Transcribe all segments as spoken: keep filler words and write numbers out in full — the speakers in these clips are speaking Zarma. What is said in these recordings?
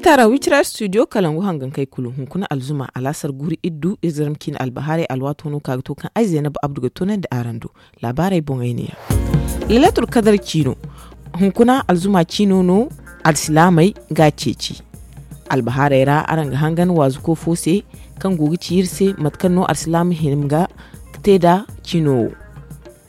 Taara wicira studio kalangu hangankey kulu hunkuna alzuma alaasar guri iddu izirm ciine albahaarey alwaato no ka ga to kaŋ ay zaynab abdu ga toonandi araŋ do. Laabaarey boŋey ne ya. Lailatul kadar ciino hunkuna alzuma ciino no. Alsilaamey ga a ceeci albahaarey ra araŋ ga hangan waazuko fo se kaŋ go ga ci iri se mate kaŋ no alsilaama hima ga te nd'a ciino wo.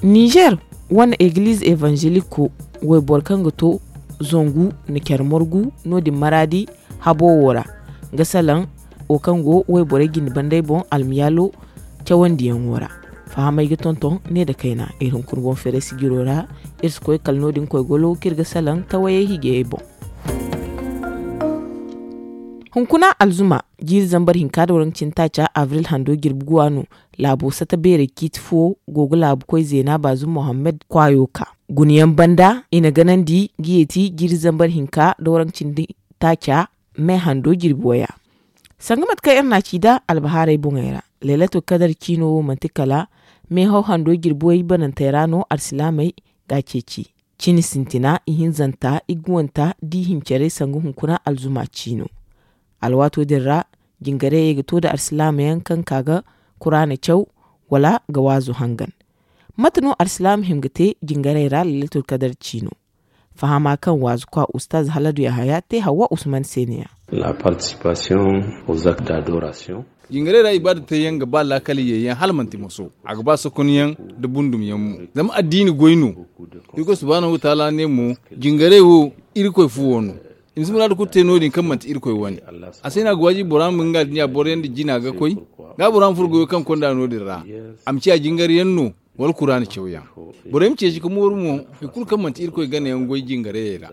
Nizer wane egiliz evanzeliko wayboro kaŋ ga to zangu na care margu no- din maraadi habo wo ra ga salaŋ wo kaŋ go wayborey jine bandey boŋ almiyaalo cawandiyaŋo ra. Fahamey ga tonton ne nda kayna iri hunkuna boŋ feeray sijiro ra. Iri si koy kala no- din koy golo kaŋ iri ga salaŋ tawayey hijayey boŋ. Hunkuna alzuma jiiri zambar hinka nda waranka cindi taaca abril hando jirbi guwa no. Laabo sata beerey ciiti fo go ga laabu koy zeena baazum mohammed kwaayo ka guna yaŋ banda i na ganandi ga yeeti jiiri zambar hinka nda waranka cindi taaca me hando jirbi waya. Sanga mate kaŋ iri na a ci nd'a albahaarey boŋey ra, lailatul kadar ciino wo manti kala meehaw hando jirbi way banantey ra no alsilaamey ga a ceeci. Cine sintina ihinzanta iguwanta da ihincarey sanga hunkuna alzuma ciino. Alwaato din ra jingarayey ga to nda alsilaama yaŋ kaŋ ka ga kuraana caw wala ga waazu hangan. Mate no alsilaama hima ga te jingaray ra lailatul kadar ciino? Fahama kaŋ waazu kwa ustaaz haladu yahaya te hawwa usman se ne ya. Jingarey ra ibaada teeyaŋ ga ba laakal yeeyaŋ hala manti moso. A ga ba sokonyaŋ nda bundumyaŋ mo. Zama addiini goy no. Irkoy subhaanahu wataala ne mo jingarey wo irkoy fuwo no. I ma si muraadu kulu te no- din kaŋ manti irkoy wane. A se no a ga waajibi bora ma nga dinya boroyaŋ nda jina ga koy. Ga bora ma furo goyo kaŋ konda no- din ra. A ma ciya jingaryaŋ no wala kuraana cawyaŋ. Borey ma ceeci ga mooru mo hari kulu kaŋ manti irkoy ganayaŋ goy jingarayey ra.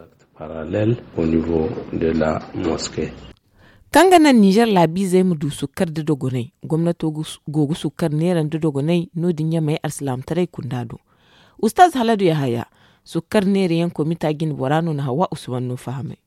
Kaŋ ga naŋ nizer laabiizey ma du sukkar nda dogonay gomnato go ga sukkar neera nda dogonay no- din ɲamey alsilaamataray kunda do. Ustaaz haladu yahaya sukkar neera yaŋ komita jine bora no na hawa usman no fahamay.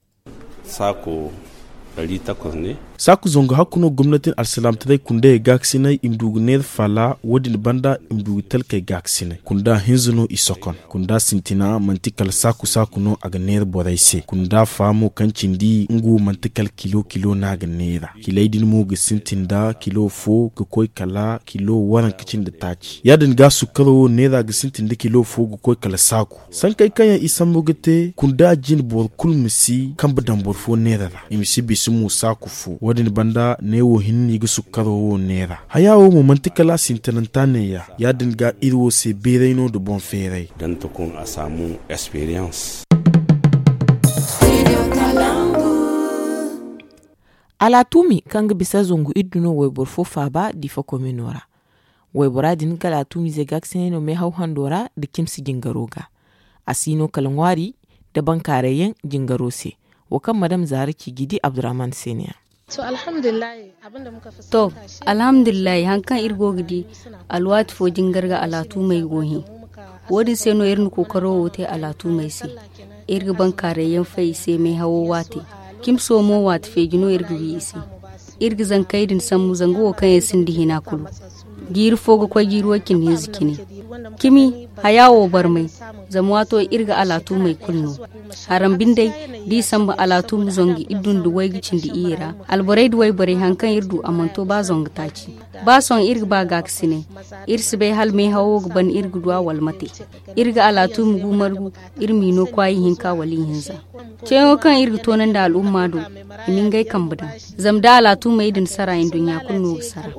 Saako zangu hakku no gomnatin alsilaamataray kundayey gaakasinay i ma du ga neera faala wo- din banda i ma du ga talkey gaakasinay kunda hinza no i sokon. Kunda sintina manti kala saaku saaku no a ga neera borey se kunda faamo kaŋ cindi nga wo manti kala kilo kilo no a ga neera. Kiley din mo ga sintin nda kilo fo ga koy kala kilo waranka cindi taaci ya- din ga sukkaro wo neera ga sintin nda kilo fo ga koy kala saaku. Sankey kaŋ yaŋ i sambu ga te kunda jine boro kulu ma si kambe daŋ boro fo neera ra i ma si bisa mo saaku fo wo- din banda neewo hinne i ga sukkaro wo neera haya wo mo manti kala a sintinanta neeya. Ya- din ga iri wo se beeray no nda boŋ feeray. Alaatumi kaŋ ga bisa zangu iddu no wayboro fo faaba difa komino ra. Waybora din ga alaatumize gaakasinay no meehaw hando ra nda cimsi jingaro ga. A si no kala ŋwaari nda bankaaray yaŋ jingaro se. Wo kaŋ madam zaara ci ga i di abdurrahman se ne ya. To, alhamdulillahi, hari kaŋ iri go ga di, alwaati fo jingar ga alaatumey go hẽ. Wo- din se no iri na kookaro wo te alaatumey se. Iri ga bankaaray yaŋ fay i se meehawo waate. Cimso mo waati feeji no iri ga wi i se. Iri ga zankey din sambu zanga wo kaŋ yaŋ sinda hina kulu. Jiiri fo ga koy jiiri way cindi hinza cine. Cimi haya wo barmay. Zama waato iri ga alaatumey kulu no. Haram bindey, da i sambu alaatum zangu iddu nda waygu cindi iyye ra, alborey nda wayborey hari kaŋ iri du a mana to ba zangu taaci. Ba sohõ iri ga ba gaakasinay. Iri si bay hala meehawo ga ban iri ga du a wala mate. Iri ga alaatum gu margu. Iri m'i no kwaayi hinka wala ihinza. Ceeyaŋo kaŋ iri ga toonandi al'umma do, i ma ngey kambe daŋ. Zama da alaatumey din sara nduɲɲa kulu no ga sara.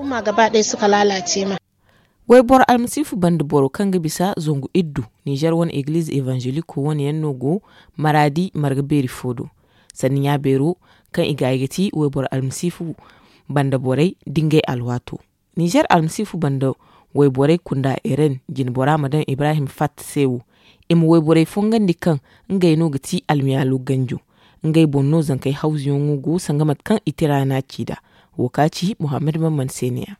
Wayboro almasiifu banda boro kaŋ ga bisa zangu iddu nizer wane egiliz evanzeliko wane yaŋ no go maraadi marga beeri fo do. Sanni ɲa beero kaŋ i ga ay ga ti wayboro almasiifu banda borey da ngey alwaato. Nizer almasiifu banda wayborey kunda eren jinbora ma daŋ ibrahim fatta se wo. I ma wayborey fongandi kaŋ ngey no ga ti almiyaalo ganjo. Ngey boŋ no zankey hawzuyaŋo go sanga mate kaŋ i tira na ci nd'a. Wo ka ci muhammad mamman se ne ya.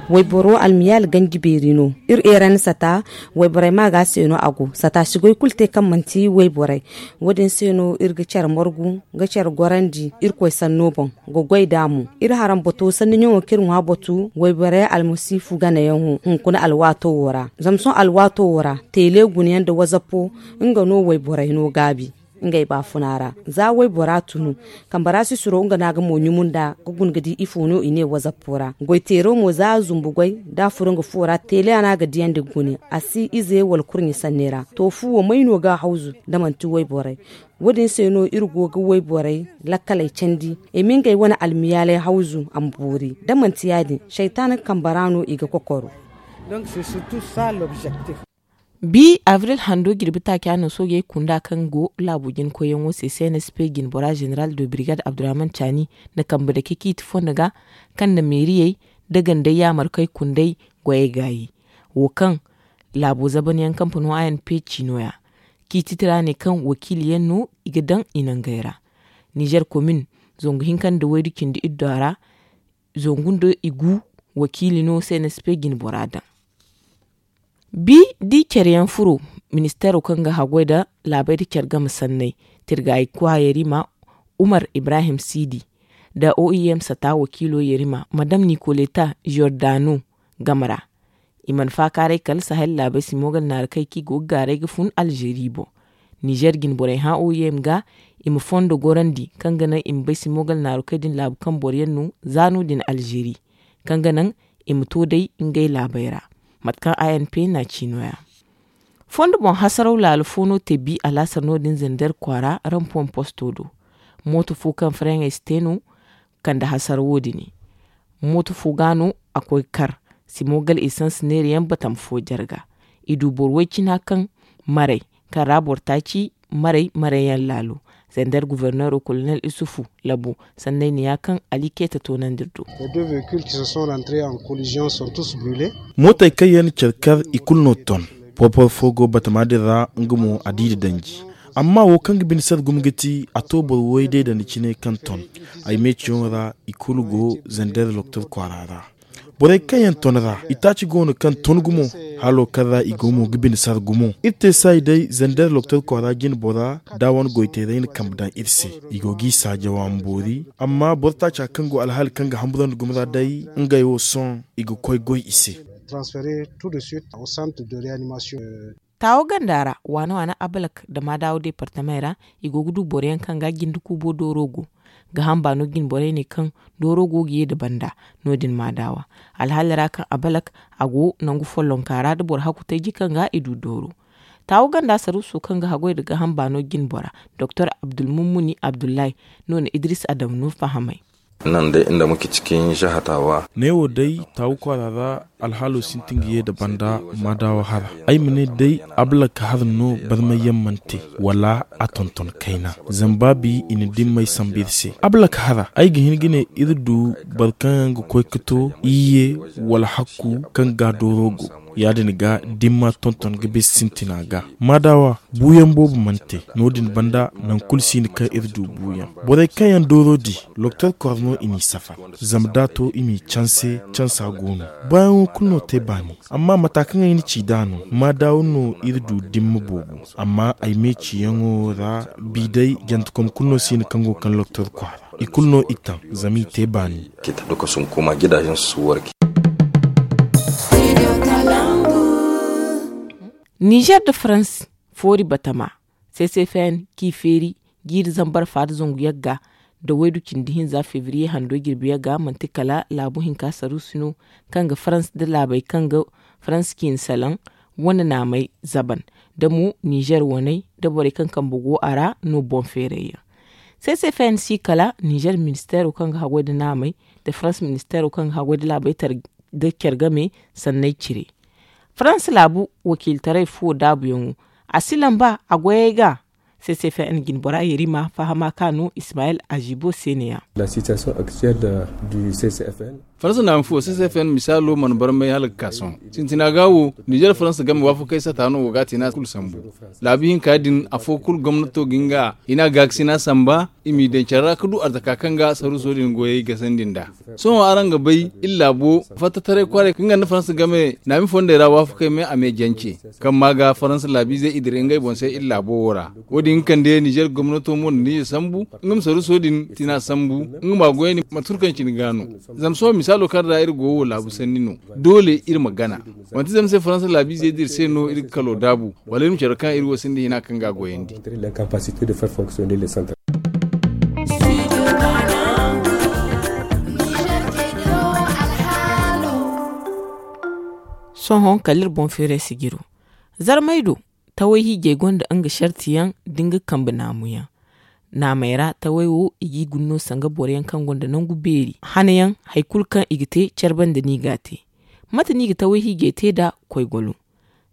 Wayboro almiyaal ganji beeri no. Iri eeran sata wayborey ma ga se no a go sata si goy kulu te kaŋ manti wayborey. Wo- din se no iri ga care margu ga care gorandi irkoy sanno boŋ ga goy nd'a mo. Iri haram bato sanni ɲaŋo kaŋ iri ŋwa batu wayborey almasiifu ganayaŋo hunkuna alwaato wo ra. Zama sohõ alwaato wo ra teele gunayaŋ nda wazapo nga no wayborey no gaabi. Ngey baafuna ra za waybora tunu, kambara sisiro nga no a ga mo ɲumu nd'a ga guna ga di ifo no i ne wazappo ra. Goyteero mo za a zumbu goy da a furo nga fuwo ra, teele a no a ga diyandi ga gune. A si ize wala kurɲe sanne ra. To fuwo may no ga a hawzu da manti wayborey? Wo- din se no iri go ga wayborey lakkaley candi, i ma ngey wane almiyaaley hawzu a ma boori. Da manti ya- din, saytaana kambe ra no i ga kokoro. Bi abril hando jirbi taaca no soojey kunda kaŋ go laabo jinkoyyaŋo se, cnsp jinbora, zeneral de birigad abdurrahman caani na kambe dake ciiti fondo ga, kaŋ na meeriyey da gandey yaamarkey kundey goyey gaayi. Wo kaŋ laabo zabanyaŋ kampano anp ci nooya. Ciiti tira ne kaŋ wakiiliyaŋ no i ga daŋ i nangey ra. Nizer komin zangu hinka nda waydu cindi iddu a ra, zangu nda i gu wakiili no cnsp jinbora daŋ. Bi di care yaŋ furo, ministeero kaŋ ga haggoy nda laabey nda care game sanney, tirgaayi kwa yarima umar ibrahim siidi, nda oem sata wakiilo yarima madam nikoleta jordano game ra. I mana faakaaray kala sahel laabey si moogal naaru kay kaŋ i go ga gaaray ga fun alzeeri boŋ. Nizer jinborey hã oem ga i ma fondo gorandi kaŋ ga naŋ i ma bay si moogal naaru kay din laabu kaŋ boro yaŋ no za no- din alzeeri, kaŋ ga naŋ i ma to day ngey laabey ra. Mate kaŋ anp na ci nooya. Fondo boŋ hasaraw laalo fo no te bi alaasar no- din zender kwaara rampon posto do. Mooto fo kaŋ faraŋey si te no kande hasarawo din. Mooto fo ga no a koy kar, si moogal esans neerayaŋ batam fo jarga. I du boro way cina kaŋ maray, kaŋ ra boro taaci maray marayyaŋ laalo. Zender guverneero kolonel isufu labo sanney ne ya kaŋ ali keeta toonandi do. Mootey kaŋ yaŋ na care kar i kulu no ton. Porpor fo go batama din ra nga mo a di da danji. Amma wo kaŋ ga bine sara gumo ga ti a to boro way day dandi cine kaŋ ton. Ay meeciyaŋo ra i kulu go zender loktor kwaara ra. Borey kaŋ yaŋ ton ra itaaci go no kaŋ ton gumo. Halo kaŋ ra i go mo ga bine sara gumo iri te saayi day zender loktor kwaara jine bora da wane goyteeray na kambe daŋ iri se. I go g'i saajawa ma boori. Amma boro taaca kaŋ go alhaali kaŋ ga hamburandi gumo ra day ngey wo sohõ i ga koy goy i se. Taawo ganda ra waana waana abalak nda maadaawo deepartamey ra. I go ga du boro yaŋ kaŋ ga jinde kuubo dooro go ga hamba no jine borey ne kaŋ dooro go ga ye nda banda. No- din maadaawa alhaali ra kaŋ abalak a go nangu follonka ra nda boro hakku tayji kaŋ ga i du dooro. Taawo ganda saruuso kaŋ ga haggoy nda ga hamba no jine bora doktor abdulmummuni abdullahi no na idris adamu no fahamay. Nan day inda muke cikin jihar Tawa. Neewo day taawu kwaara ra alhaalo sintin ga ye nda banda maadaawa hara. Ay ma ne day ablak hara no barmayyaŋ mana te wala a tonton kayna. Zama baabi i na dimmey sambu iri se ablak hara ay ga hin ga ne iri du boro kaŋ yaŋ ga koy ga to iyye wala hakku kaŋ ga dooro go. Ya- din ga dimma tonton ga bisa sintina ga maadaawa buuyaŋ boobo mana te. No- din banda nangu kulu si no kaŋ iri du buuyaŋ. Borey kaŋ yaŋ dooro di loktor kor no i n'i safar. Zama da a to i m'i canse cansa go no. Baayaŋo kulu no te baani. Amma mata kaŋ ay na ci nd'a no maadaawa no iri du dimma boobo. Amma ay me ciyaŋo ra bi day jantekom kulu no si no kaŋ go ga kaŋ loktor kwaara. I kulu no i taŋ zama i te baani. Nizer nda farans foori batama, ccfn k'i feeri jiiri zambar fa nda zangu yagga nda waydu cindi hinza febriye hando jirbi yagga manti kala laabu hinka saruusi no kaŋ ga farans nda laabey kaŋ ga farans ciine salaŋ wane naamey zaban, da mo nizer waney nda borey kaŋ kambe go a ra no boŋ feerayyaŋ. Ccfn si kala nizer ministeero kaŋ ga haggoy nda naamey nda farans ministeero kaŋ ga haggoy nda laabey tara nda care game sanney cire. Farans laabu wakiiltaray fuwo daabuyaŋo a si lamba a goyey ga. Ccfn jinbora yerima fahama ka no ismayel azibo se ne- ya. Farans naama fuwo ccfn misaalo mana barmay hala ga ka sohõ sintina ga wo nizer farans game waafakey sata no wo ga a te no a kulu sambu. Laabu hinka din afo kulu gomnato ga hin ga hina gaakasina samba i m'i daŋ care ra ga du arzaka kaŋ ga saruuso din goyey gasandi nd'a. Sohõ araŋ ga bay iri laabo fattataray kwaarey kaŋ ga nda farans game naami fondey ra waafakey me a me jance kaŋ ma ga farans laabiizey i dira ngey boŋ se iri laabo wo ra. Wo- din ga kande nizer gomnato mo na nizer sambu nga ma saruuso din tina sambu nga ma a goyandi mate kulu kaŋ cine ga no. Zama sohõ Saalo kaŋ ra iri go wo laabu sanni no. Doole iri ma gana. Manti zama se faransa laabiizey da iri se no iri ga kalo daabu, wala iri ma care kaŋ iri wo sinda hina kaŋ ga a goyandi. Sohõ kala iri boŋ feeray sijiro. Zarmay do, taway hiijay gonda nga sarti yaŋ da nga kambe naamu yaŋ. Naamey ra taway wo i g'i guna no sanga boro yaŋ kaŋ gonda nangu beeri hana yaŋ. Hari kulu kaŋ i ga te care banda no i g'a te. Mate no i ga taway hiijay te nd'a? Koygolo.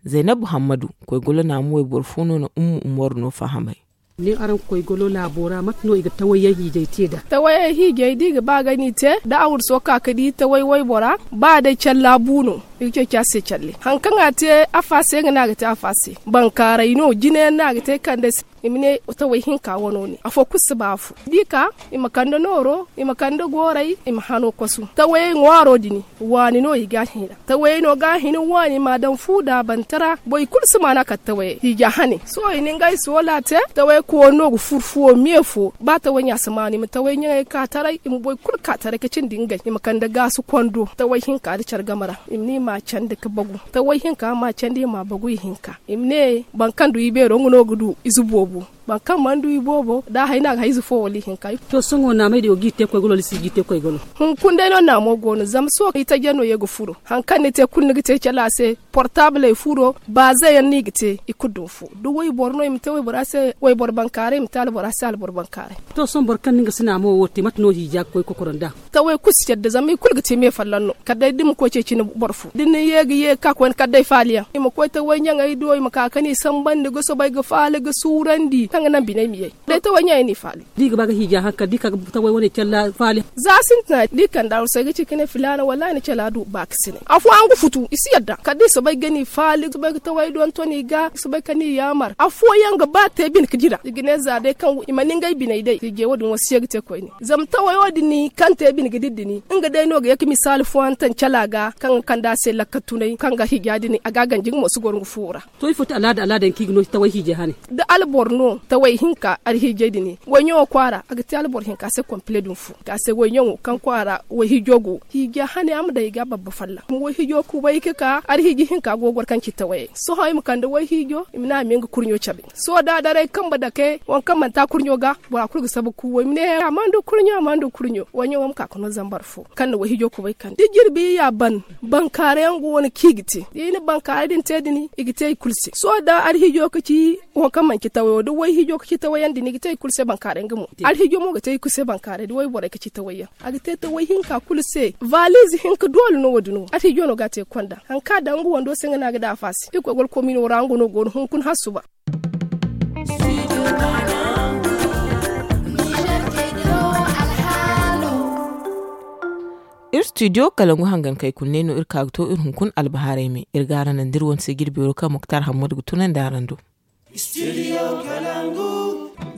Zaynab muhammadu, koygolo naamu wayboro fo no na ummu umar no fahamay. Ni araŋ koygolo laabo ra mate no i ga taway yaŋ hiijay te nd'a? Taway yaŋ hiijay da i ga ba ga ni te da a wurso ka ga di taway waybora, ba day care laabu no. I ga ceeci a se care laabu. Hari kaŋ a te afa se nga no a ga te afa se. Bankaaray no jine yaŋ no a ga te kande se. I ma ne taway hinka wano ne afo kulu si ba afo da i ka, i ma kande nooro, i ma kande gooray, i ma hano kwasu tawayey ŋwaaro din. Waani no i ga a hina tawayey no ga a hina waani ma a daŋ fu da a bantara. Boro kulu si maana kala tawayey hiija hane sohõ i na ngey soola te. Tawayey kooni no ga furu fuwo me fo ba taway ɲa si maanu i ma taway ɲaŋey ka taray i ma boro kulu ka taray ka cindi ngey i ma kande gaasu kwando taway hinka nda care game ra. I ma ne i ma a candi ka bagu taway hinka ma a candi i ma a bagu ihinka. I ma ne boro kaŋ du ibeero nga no ga du ize boobo. Boro kaŋ mana du iboobo da a hay no a ga hay ize fo wala ihinka. To sohõ naamey din wo g'i te koygolo wala i si g'i te koygolo? Hunkuna day no naamo go no zama sohõ itaje no ye ga furo. Hari kaŋ ni te kulu ni ga te cala se. Portaabiley furo baaze yaŋ no i ga te i kulu duma fo da wayboro no i ma te waybora se wayboro bankaaray i ma te albora se alboro bankaaray. To sohõ boro kaŋ no nga si naamo wo te mate no hiija ga koy kokoro nd'a? Taway kulu si care da zama i kulu ga te me folloŋ no kala day da ni ma koy ceeci ni boro fo da ni ye ga ye ga ka koyne kala day faali yaŋ i ma koy taway ɲaŋey do i ma ka ga ni sambandi ga soobay ga faali ga suurandi kaŋ ga naŋ biney ma ye. Day taway ɲaŋey no i faali. Da i ga ba ga hiija hankali da i ka ga taway wane care ra faali. Za sintina da i kande arusay ga ci ga ne filaana wallaahi ni care ra du baakasinay afooyaŋ ga futu i si yadda kala da i soobay ga ni faali i soobay ga taway donton i ga i soobay ka ni yaamar afooyaŋ ga ba te bine ga dira i ga ne za day kaŋ i mana ngey biney day hiijay wo- din wo si ye ga te koyne. Zama taway wo- din kaŋ te bine ga dira din nga day no ga ye ga misaali fooyaŋ taŋ cala ga kaŋ ga kande a se lakka tunay kaŋ ga hiija din a ga a ganji nga mo si goro nga fuwo ra. To ifo ti alaada alaada yaŋ kaŋ i ga no taway hiijay hane? Da alboro no taway hinka alhiijay din wayɲaŋo kwaara a ga te alboro hinka se kompile din fu ka se wayɲaŋo kaŋ kwaara wayhiijo go hiija hane a ma daŋ i ga babba folloŋ kuma wayhiijo kubay ga ka alhiiji hinka go ga goro kaŋ ci tawayey sohõ i ma kande wayhiijo i ma ne a ma ye nga kurɲo cabe. Sohõ da a daray kambe dake waŋ kaŋ manti a kurɲo ga bora kulu ga sabu kuuwa i ma ne a mana du kurɲo a mana du kurɲo wayɲaŋo ma ka ga no zambar fo kaŋ na wayhiijo kubay kande da jirbi ya ban. Bankaaray yaŋ go no kaŋ i ga te da i na bankaaray din te din i ga te i kulu se sohõ da alhiijo ga ci waŋ kaŋ manci tawayo da wayhiijo ga ci tawayaŋ din i ga te i kulu se bankaaray nga mo alhiijo mo ga te i kulu se bankaaray da wayborey ga ci tawayyaŋ. A ga te taway hinka kulu se. Valiize hinka doole no wo- din wo alhiijo no ga a te ga konda hari kaŋ a daŋ nga wando se nga no a ga daŋ afa se i koy goro komino ra nga no go no hunkuna hala suba. Iri studio kalangu hangankey kulu ne no iri ka ga to iri hunkuna albahaarey me iri ga araŋ naŋ da iri wane se jirbi waro kaŋ muktar hammadu ga tunandi araŋ do.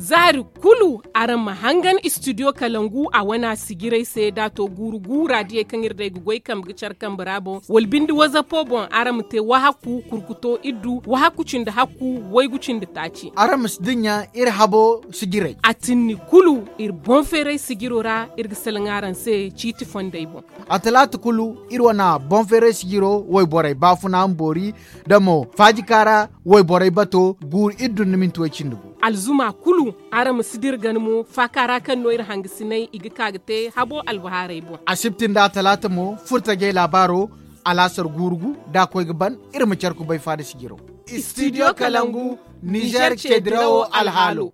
Zaari kulu araŋ ma hangan studio kalangu a wana sijirey se da a to guuru guura diyey kaŋ iri day ga goy kambe ga care kambe ra boŋ wala binde wazapo boŋ araŋ ma te wahakku kurkuto iddu wahakku cindi hakku waygu cindi taaci. Araŋ ma si dinya iri habo sijirey. A tinni kulu iri boŋ feeray sijiro ra iri ga salaŋ araŋ se ciiti fondey boŋ. A talaata kulu iri wane boŋ feeray sijiro wayborey baafuna ma boori da mo faajika ra wayborey bato guuru iri dunna minti way cindi gu. Alzuma kulu araŋ ma si dira gana mo faaka ra kaŋ no iri hangasinay i ga ka ga te habo albahaarey boŋ. Asibti nda talaata mo furtajey laabaaro alaasar guuru gu da a koy ga ban iri ma care kubay faada sijiro. Studio kalangu nizer ce dirawo alhaalo.